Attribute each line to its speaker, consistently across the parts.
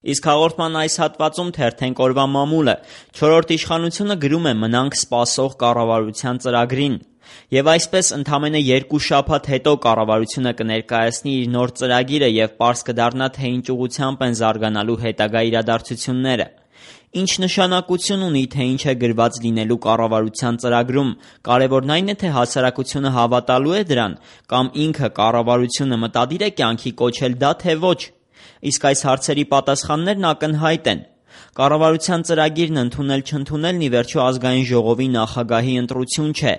Speaker 1: Իսկ հաղորդման այս հատվածում թերթենք օրվա մամուլը, 4-րդ իշխանությունը գրում է մնանք սպասող կառավարության ծրագրին։ Եվ այսպես ընդամենը 2 շաբաթ հետո կառավարությունը կներկայացնի իր նոր ծրագիրը և պարզ կդառնա, թե ինչ ուղղությամբ են զարգանալու հետագա իրադարձությունները։ Ինչ նշանակություն ունի, թե ինչ է գրված լինելու կառավարության ծրագրում, կարևորն այն է, թե հասարակությունը հավատալու է դրան, կամ ինքը կառավարությունը մտադիր է կյանքի կոչել դա, թե ոչ։ Իսկ այս հարցերի պատասխաններն ակնհայտ են։ Կառավարության ծրագիրն ընդունել-չընդունելն ի վերջո Ազգային ժողովի նախագահի ընտրություն չէ։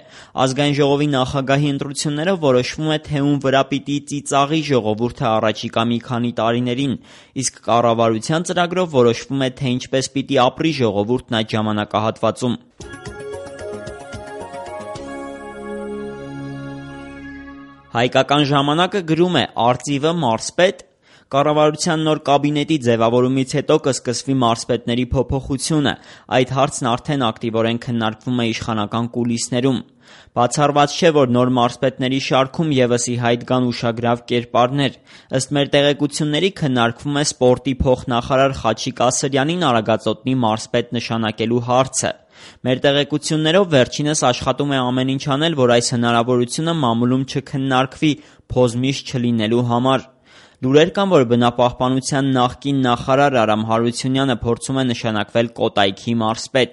Speaker 1: Ազգային ժողովի նախագահի ընտրություններով որոշվում է, թե ում վրա պիտի ծիծաղի ժողովուրդը առաջիկա մի քանի տարիներին, իսկ կառավարության ծրագրով որոշվում է, թե ինչպես պիտի ապրի ժողովուրդն այդ ժամանակահատվածում։ Հայկական ժամանակը գրում է «Արծիվը մարզպետ»։ Կառավարության նոր կաբինետի ձևավորումից հետո կսկսվի մարզպետների փոփոխությունը։ Այդ հարցն արդեն ակտիվորեն քննարկվում է իշխանական կուլիսներում։ Բացառված չէ, որ նոր մարզպետների շարքում ևս ի հայտ գան ուշագրավ կերպարներ։ Ըստ մեր տեղեկությունների քննարկվում է սպորտի փոխնախարար Խաչիկ Ասրյանին Արագածոտնի մարզպետ նշանակելու հարցը։ Մեր տեղեկություններով վերջինս աշխատում է ամեն ինչ անել, որ այս հնարավորությունը մամուլում չքննարկվի փոզ միշտ չլինելու համար։ Լուրեր կան, որ բնապահպանության նախկին նախարար Արամ Հարությունյանը փորձում է նշանակվել Կոտայքի մարզպետ։